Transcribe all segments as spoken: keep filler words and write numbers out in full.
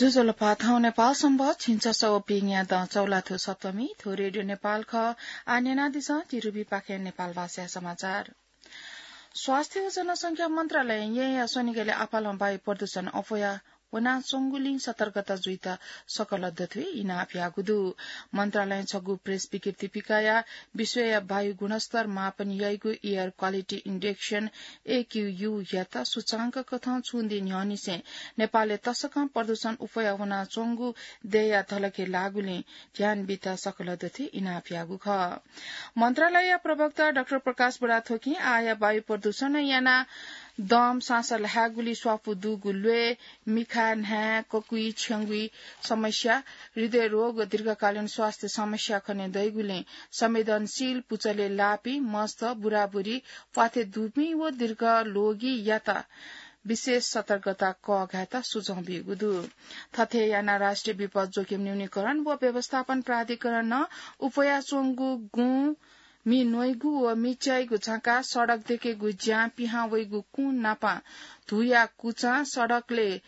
ज्वजलपा, थौं नेपाल संवत् झिंछसः व पीन्यादँ चौलाथ्व सप्तमी, थ्व रेडियो नेपाल खः। आः न्यनादिसँ तिरुभिपाखें नेपाल भाषाया समाचार। स्वास्थ्य व जनसंख्या मन्त्रालयं येँया स्वनिगलय् आपालं वायु प्रदूषण अप्वया वनाच्वंगुलिं सतर्कता जुइत सकल दथुइ इनाप याःगु दु। मन्त्रालयं छगू प्रेस विज्ञप्ति पिकयाः विश्वया वायु गुणस्तर मापन याइगु Air Quality Index, A Q U, यात सूचांक कथं छुं दिं न्ह्यःनिसें नेपालय् तसकं प्रदूषण अप्वया वनाच्वंगु दय्‌या धलखे लाःगुलिं ध्यान बीत सकल दथुइ इनाप याःगु खः। मन्त्रालयया प्रवक्ता डाक्टर प्रकाश बुढाथोकीं आःया वायु प्रदूषणं यानाः दम, साँस ल्हायेगुली स्वापू दुगु ल्वय्, मिखा, न्हाय्, ककुइ, छ्यंगुइ समस्या, हृदय रोग व दीर्घकालीन स्वास्थ्य समस्या खने दइगुलिं संवेदनशील पुचलय् लाःपिं, मस्त, बुराबुरी, प्वाथय् दुपिं व दीर्घ लोगीयात विशेष सतर्कता कःघायेत सुझाव बीगु दु। थथे यानाः राष्ट्रिय विपद जोखिम न्यूनीकरण व व्यवस्थापन प्राधिकरणं अप्वयाच्वंगु गुँ, मि न्वइगु व मि च्याइगु झाँका, सडक देकेगु ज्यां पिहां वइगु कुँ नापं, धूया कुचां सडकलय्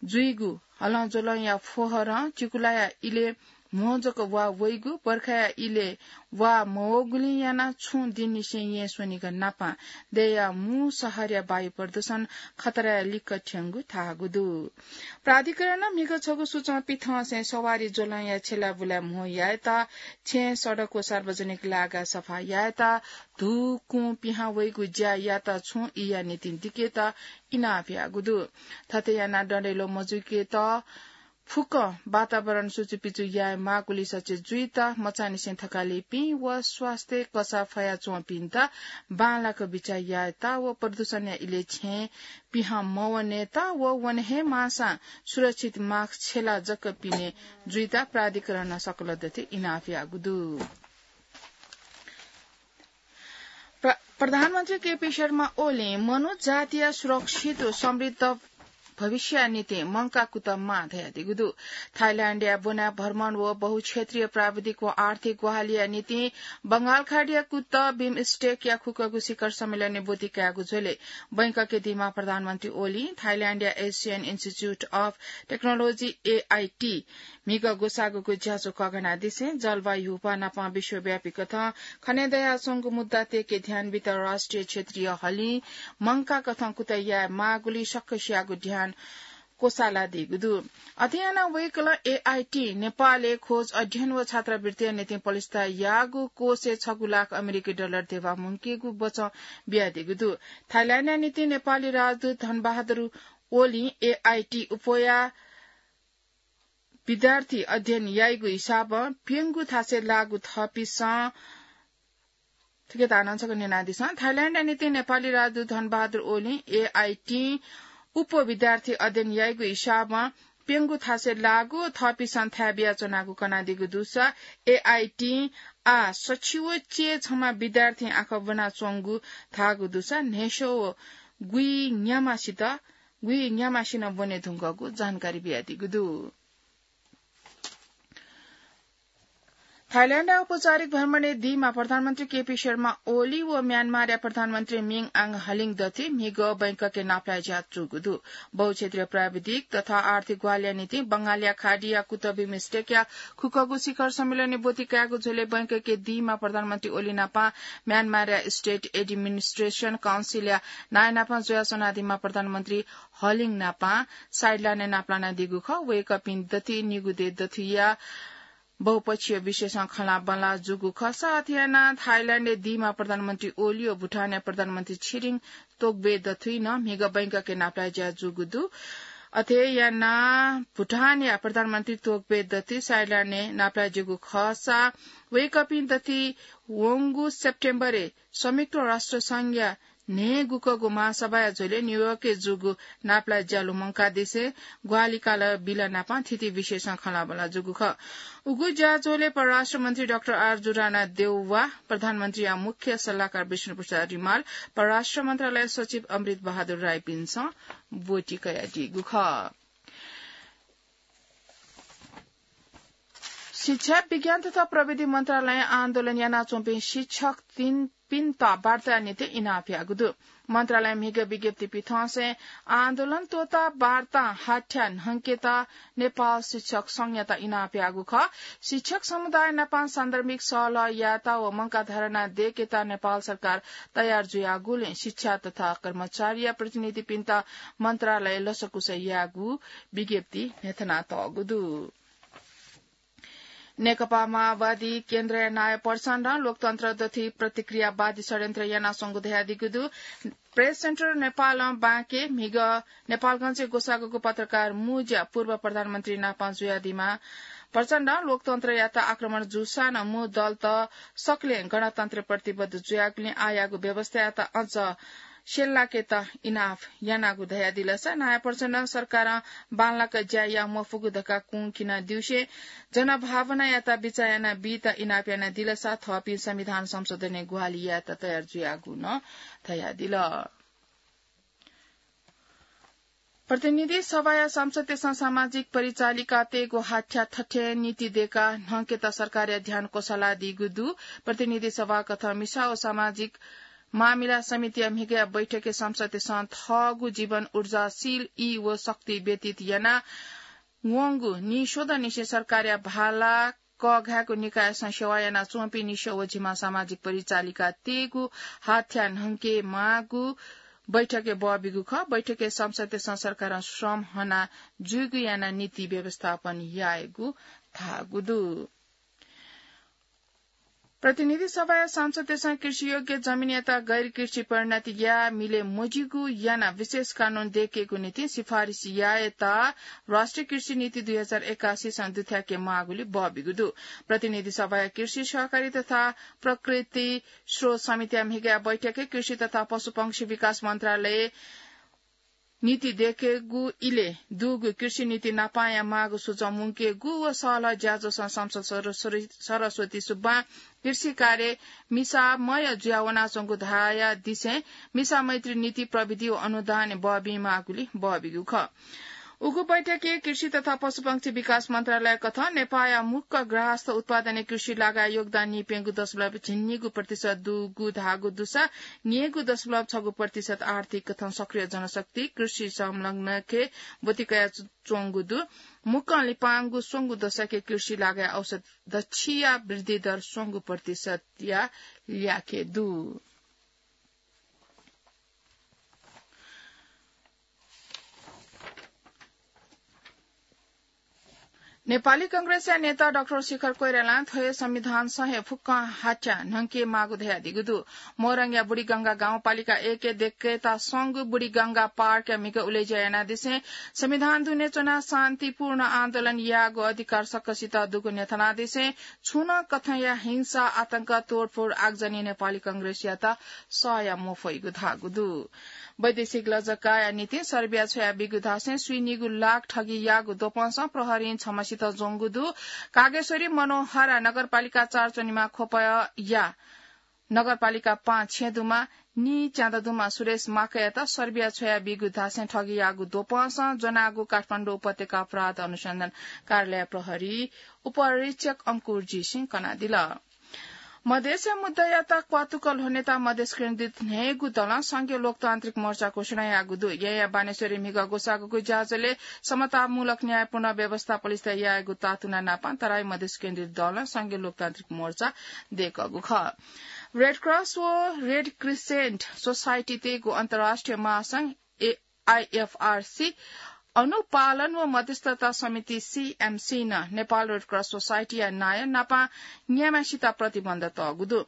जुइगु हलंज्वलंया फोहरं चिकुलाया इलय् म्हो जक वा वइगु, बर्खाया इलय् वा मवःगुलिं यानाः छुं दिंनिसें येँ स्वनिगः नापं दय्‌या मू शहरया वायु प्रदूषण खतराय् लिक्क थ्यंगु धाःगु दु। प्राधिकरणं म्हिगः छगू सूचं पिथंसें सवारी ज्वलंया छेँलाबुलाय् म्हो यायेत, छेँ, सडक व सार्वजनिक लागा सफा यायेत, धू, कुँ पिहां वइगु ज्या यात छुं ईया निंतिं दिकेत इनाप याःगु दु। थथे यानाः डँडैलो मजुइकेत फुक्कं वातावरण सुचुपिचु याये माःगुली सचे जुइत मचांनिसें थकालिपिं व स्वास्थ्य कसाः फयाच्वंपिन्त बांलाक बिचाः यायेत व प्रदूषणया इलय् छेँ पिहां मवनेत व वने हे माःसां सुरक्षित मास्क छेला जक पिने जुइत प्राधिकरणं सकल दथुइ इनाप याःगु दु। प्र-, प्रधानमन्त्री केपी शर्मा ओलीं मनूत जातिया सुरक्षित व समृद्ध भविष्यया निंतिं मंकाः कुतः माः धयादीगु दु। थाइल्याण्डया ब्वनाः भ्रमण व बहुक्षेत्रीय प्राविधिक व आर्थिक ग्वाहालिया निंतिं बंगालखाडीया कुतः बिमस्टेकया खुक्कगु शिखर सम्मेलनय् ब्वति कायेगु झ्वलय् बैंककय् दीम्ह प्रधानमन्त्री ओलीं थाइल्याण्डया Asian Institute of Technology, A I T, म्हिगः ग्वसाःगुगु ज्याझ्वः कःघानादिसें जलवायु ह्यूपाः नाप विश्वव्यापी कथं खने दयाच्वंगु मुद्दातय्‌के ध्यान बीत राष्ट्रिय क्षेत्रीय हलिं मंकाः कथं कुतः याये माःगुली सकसियागु ध्यान क्वसालादीगु दु। अथे यानाः वय्‌कलं A I T नेपालय् खोज अध्ययन व छात्रवृत्तिया निंतिं पलिस्था याःगु कोषय् छगू लाख अमेरिकी डलर धेबा मुंकेगु बचं बियादीगु दु। थाइल्याण्डया निंतिं नेपाली राजदूत धनबहादुर ओलीं A I T अप्वया विद्यार्थी अध्ययन याइगु हिसाबं प्यंगू थासय् लाःगु थःपिसं, थुकिया तानं छकः न्यनादिसँ। थाइल्याण्डया निंतिं नेपाली राजदूत धनबहादुर ओलीं A I T अप्वः विद्यार्थी अध्ययन याइगु हिसाबं प्यंगू थासय् लाःगु थःपिसं थाय् बियाच्वनागु कनादीगु दुसा A I T आः सछि व च्यय् छम्ह विद्यार्थीं आखः ब्वनाच्वंगु धाःगु दुसा न्हय्‌स्वः व गुइन्याम्हसित गुइन्याम्हसिनं ब्वने धुंकूगु जानकारी बियादीगु दु। थाइल्याण्डया औपचारिक भ्रमणय् दीम्ह प्रधानमन्त्री केपी शर्मा ओली व म्यानमारया प्रधानमन्त्री मिन आङ हलिङ दथुइ म्हिगः बैंककय् नापलाये ज्या जूगु दु। बहुक्षेत्रीय प्राविधिक तथा आर्थिक ग्वाहालिया निंतिं बंगालया खाडीया कुतः बिमस्टेकया खुक्कगु शिखर सम्मेलनय् ब्वति कायेगु झ्वलय् बैंककय् दीम्ह प्रधानमन्त्री ओली नाप म्यानमारया State Administration Council या नायः नाप जुयाच्वनादीम्ह प्रधानमन्त्री हलिङ नाप साइडलाइनय् नापलानादीगु खः। वय्‌कःपिं दथुइ निगू देय् दथुइया बहुपक्षीय विषयसं खँल्हाबल्हा जूगु खःसा अथे यानाः थाइल्याण्डय् दीम्ह प्रधानमन्त्री ओली व भुटानया प्रधानमन्त्री छिरिङ तोग्बे दथुइ नं म्हिगः बैंककय् नापलाये ज्या जूगु दु। अथे यानाः भुटानया प्रधानमन्त्री तोग्बे दथुइ साइडलाइनय् नापलाये ज्यूगु खःसा वय्‌कःपिं दथुइ वंगु सेप्टेम्बरय् संयुक्त राष्ट्र संघया न्हय्‌गुकःगु महासभाया झ्वलय् न्यूयोर्कय् जूगु नापलाये ज्या लुमंकादिसें ग्वाहालि काल बिल नाप थीथी विषयसं खँल्हाबल्हा जूगु खः। उगु ज्याझ्वलय् परराष्ट्र मन्त्री डाक्टर आर जुराना देउवा, प्रधानमन्त्रीया मुख्य सल्लाहकार विष्णु प्रसाद रिमाल, परराष्ट्र मन्त्रालय सचिव अमृत बहादुर राईपिन्सं ब्वति कयादीगु खः। शिक्षा, विज्ञान तथा प्रविधि मन्त्रालयं आन्दोलन यानाच्वंपिं शिक्षक तीन पिन्त वार्ताया निंतिं इनाप याःगु दु। मन्त्रालयं म्हिगः विज्ञप्ति पिथंसें आन्दोलन त्वःता वार्तां हाथ्या न्हंकेत नेपाल शिक्षक संघयात इनाप याःगु खः। शिक्षक समुदाय नाप सान्दर्भिक सहलह यायेत व मंकाः धरना दयेकेत नेपाल सरकार तयार जुयागुलिं शिक्षा तथा कर्मचारीया प्रतिनिधिपिन्त मन्त्रालयं लसकुस याःगु विज्ञप्ति न्ह्यथनातःगु दु। नेकपा माओवादी केन्द्रया नायः प्रचण्डं लोकतन्त्र दथुइ प्रतिक्रियावादी षड्यन्त्र यानाच्वंगु धयादीगु दु। प्रेस सेन्टर नेपालं बाँके म्हिगः नेपालगञ्जय् ग्वसाःगु पत्रकार मुँज्या पूर्व प्रधानमन्त्री नाप जुयादीमाः। प्रचण्डं लोकतन्त्रयात आक्रमण जूसां नं मू दलत सकलें गणतन्त्र प्रतिबद्ध जुयागुलिं आःयागु व्यवस्थायात अझ स्यंलाकेत इनाप यानागु धयादिलसा नायः प्रचण्डं सरकारं बांलाक ज्या याये मफुगु धकाः कुंखिनादिउसें जनभावनायात बिचाः यानाबीत इनाप यानादिलसा थःपिं संविधान संशोधनय् ग्वाहालि यायेत तयार जुयागु नं धयादिल। प्रतिनिधि सभाया सांसदतय्सं सामाजिक परिचालिकातय्गु हाथ्या थथे नीति दयेकाः न्हंकेत सरकारया ध्यान क्वसालादीगु दु। प्रतिनिधि सभा कथं मिसा व सामाजिक मामिला समितिया म्हिगःया बैठकय् सांसदतय्सं थःगु जीवन ऊर्जाशील ई व शक्ति व्यतीत याना वंगु नीस्वदँनिसें सरकारया भाला कःघायेगु निकायसं सेवा यानाच्वंपिं निस्व व झिम्मा सामाजिक परिचालिकातय्गु हाथ्या न्हंके माःगु बैठकय् बःबिगु खः। बैठकय् सांसदतय्सं सरकारं श्रम हना जुइगु यानाः नीति व्यवस्थापन यायेगु धाःगु दु। प्रतिनिधि सभाया सांसदतय्सं कृषियोग्य जमिनयात गैर कृषि परिणत याये मिले मज्यूगु यानाः विशेष कानून दयेकेगु निंतिं सिफारिस यायेत राष्ट्रिय कृषि नीति दुई हजार एकासी सं दुथ्याके माःगुलिं बःबिगु दु। प्रतिनिधि सभाया कृषि सहकारी तथा प्रकृति स्रोत समितिया म्हिगःया बैठकय् कृषि तथा पशुपंक्षी विकास मन्त्रालय नीति दयेकेगु इलय् दुगु कृषि नीति नापंया माःगु सुझाव मुंकेगु व सहलह ज्याझ्वलय् सांसद सर-, सर-, सरस्वती सुब्बां कृषि कार्य मिसामय जुयावनाच्वंगु धयादिसें मिसा मैत्री नीति प्रविधि व अनुदान बःबीमाःगुलिं बःबिगु खः। उगु बैठकय् कृषि तथा पशुपंक्षी विकास मन्त्रालय कथं नेपाःया मुक्क ग्राहस्थ उत्पादनय् कृषि लागाय् योगदान नीप्यंगू दशमलव झिंनिगू प्रतिशत दुगु धाःगु दुसा न्यय्गू दशमलव छगू प्रतिशत आर्थिक कथं सक्रिय जनशक्ति कृषि संलग्नके ब्वति कयाच्वंगु दु। मुक्कं लिपांगु स्वंगू दशकय् कृषि लागाय् औसत दच्छिया वृद्धि दर स्वंगू प्रतिशतया ल्याखय् दु। नेपाली कांग्रेसया नेता डाक्टर शेखर कोइरालां थ्व हे संविधानसं हे फुक्कं हाथ्या न्हंके माःगु धयादीगु दु। मोरङया बुढीगंगा गाउँपालिका एकय् दयेकेत स्वंगू बुढीगंगा पार्कया म्हिगः उलेज्या यानादिसें संविधान दुने च्वनाः शान्तिपूर्ण आन्दोलन यायेगु अधिकार सकसित दुगु न्ह्यथनादिसें छुं नं कथंया हिंसा, आतंक, तोडफोड, आगजनी नेपाली कांग्रेसयात सह याये मफइगु धाःगु दु। वैदेशिक लजगाःया निंतिं सर्बिया छ्वयाबीगु धासें स्वीनिगू लाख ठगीयागु द्वपंसं प्रहरीं छम्हसित ज्वंगु दु। कागेश्वरी मनोहरा नगरपालिका चार च्वनेमा ख्वपया नगरपालिका पाँच छेँ दुम्ह नीच्यादँ दुम्ह सुरेश माकयात सर्बिया छ्वयाबीगु धासें ठगीयागु द्वपंसं ज्वनागु काठमाडौं उपत्यका अपराध अनुसन्धान कार्यालय प्रहरी उपरीक्षक अंकुर जी सिंह कनादिल। मधेसया मुद्दायात क्वातुक ल्ह्वनेत मधेस केन्द्रित न्हय्गू दलं संघीय लोकतान्त्रिक मोर्चा घोषणा याःगु दु। येँया बानेश्वरय् म्हिगः ग्वसाःगु ज्याझ्वलय् समतामूलक न्यायपूर्ण व्यवस्था पलिस्था यायेगु तातुना नापं तराई मधेस केन्द्रित दलं संघीय लोकतान्त्रिक मोर्चा दय्कःगु खः। रेड क्रस व रेड क्रिसेन्ट सोसाइटीतय्गु अन्तर्राष्ट्रिय महासंघ ए-, आइएफआरसी अनुपालन व मध्यस्थता समिति, सीएमसी, नं नेपाल रेड क्रस सोसाइटीया नायः नापं न्याम्हेसित प्रतिबन्ध तःगु दु।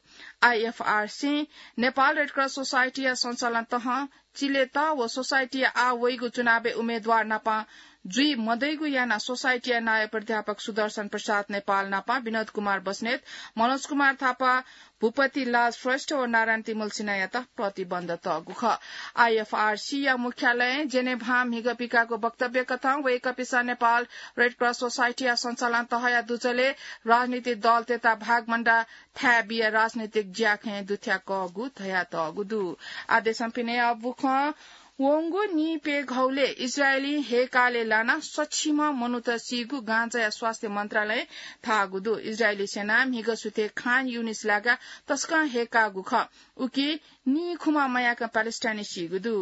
आइएफआरसी नेपाल रेड क्रस सोसाइटीया सञ्चालन तहं चिलेत व सोसाइटीया आः वइगु चुनावय् उम्मेदवार नापं जुइ मदइगु यानाः सोसाइटीया नायः प्राध्यापक सुदर्शन प्रसाद नेपाल नापं विनोद कुमार बस्नेत, मनोज कुमार थापा, भूपति लाल श्रेष्ठ व नारायण तिमल सिन्हायात प्रतिबन्ध तःगु खः। आइएफआरसीया मुख्यालयं जेनेभां म्हिगः पिकाःगु वक्तव्य कथं वय्कःपिसं नेपाल रेड क्रस सोसाइटीया सञ्चालन तहया दुजलय् राजनीतिक दलतय्त भागबण्डा थाय् बियाः राजनीतिक ज्याखँय् दुथ्याकःगु धयातःगु दु। आदेशं पिने अबुखं वंगु नीप्यघौलय् इजरायली हेकाले लानाः सछिम्ह मनूत सीगु गाजाया स्वास्थ्य मन्त्रालयं धाःगु दु। इजरायली सेनां म्हिगः सुथय् खान युनिस लागाः तसकं हेकाःगु खः। उकी नीखुम्ह मयाक प्यालेस्टाइनी सीगु दु।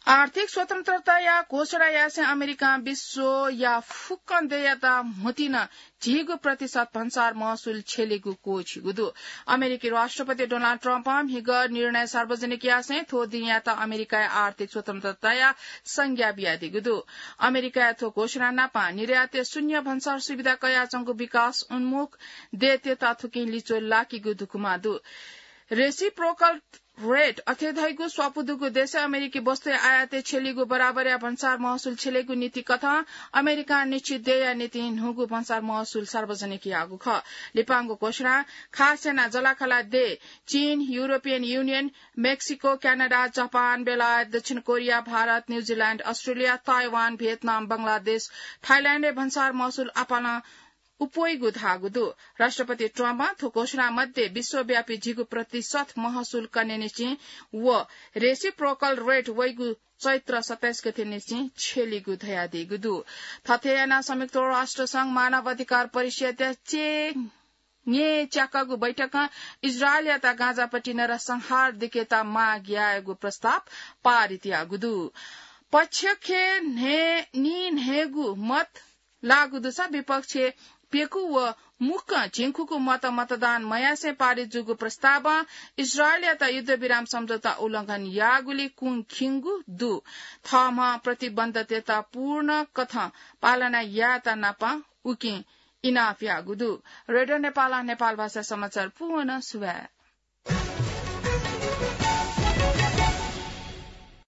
आर्थिक स्वतन्त्रताया घोषणा यासें अमेरिकां विश्वया फुक्कं देय्‌यात म्हतिन झिगू प्रतिशत भन्सार महसुल छ्यलेगु क्वःछिगु दु। अमेरिकी राष्ट्रपति डोनाल्ड ट्रम्पं म्हिगः निर्णय सार्वजनिक यासें थ्व दिंयात अमेरिकाया आर्थिक स्वतन्त्रताया संज्ञा बियादीगु दु। अमेरिकाया थ्व घोषणा नापं निर्यातय् शून्य भन्सार सुविधा कयाच्वंगु विकास उन्मुख देय्‌तय्‌त थुकिं लिच्वः लाकीगु दुकुमा दु। रेसिप्रोकल रेट अथे धइगु स्वापू दुगु देशय् अमेरिकी वस्तुया आयातय् छ्यलीगु बराबरया भन्सार महसुल छ्यलेगु नीति कथं अमेरिकां निश्चित देय्‌या निंतिं न्हूगु भन्सार महसुल सार्वजनिक याःगु खः। लिपांगु घोषणा खास यानाः जःलाखःला देय् चीन, European union, Mexico, Canada, Japan, बेलायत, दक्षिण कोरिया, भारत, न्यूजिल्याण्ड, अस्ट्रेलिया, ताइवान, भियतनाम, बंगलादेश, थाइल्याण्डय् भन्सार महसुल आपालं अप्वइगु धाःगु दु। राष्ट्रपति ट्रम्पं थ्व घोषणा मध्ये विश्वव्यापी झिगू प्रतिशत महसुल कनेनिसें व रेसिप्रोकल रेट वइगु चैत्र सत्ताइस गतेनिसें छ्यलीगु धयादीगु दु। थथे यानाः संयुक्त राष्ट्र संघ मानव अधिकार परिषदया चे न्येच्याकागु बैठकं इजरायलयात गाजापट्टि नरसंहार दिकेत माग यायेगु प्रस्ताव पारित याःगु दु। पक्षखे न्हे-, नीन्हय्‌गू मत लाःगु दुसा विपक्षय् प्यकू व मुक्कं झिंखुकू मत मतदान मयासें पारित जूगु प्रस्तावं इजरायलयात युद्धविराम सम्झौता उल्लंघन याःगुली कुंखिंगु दु। थःम्हं प्रतिबन्धतय्‌त पूर्ण कथं पालना यायेत नापं उकिं इनाप याःगु दु। रेडियो नेपालं नेपाल भाषा समाचार पूवंनं सुभाय्।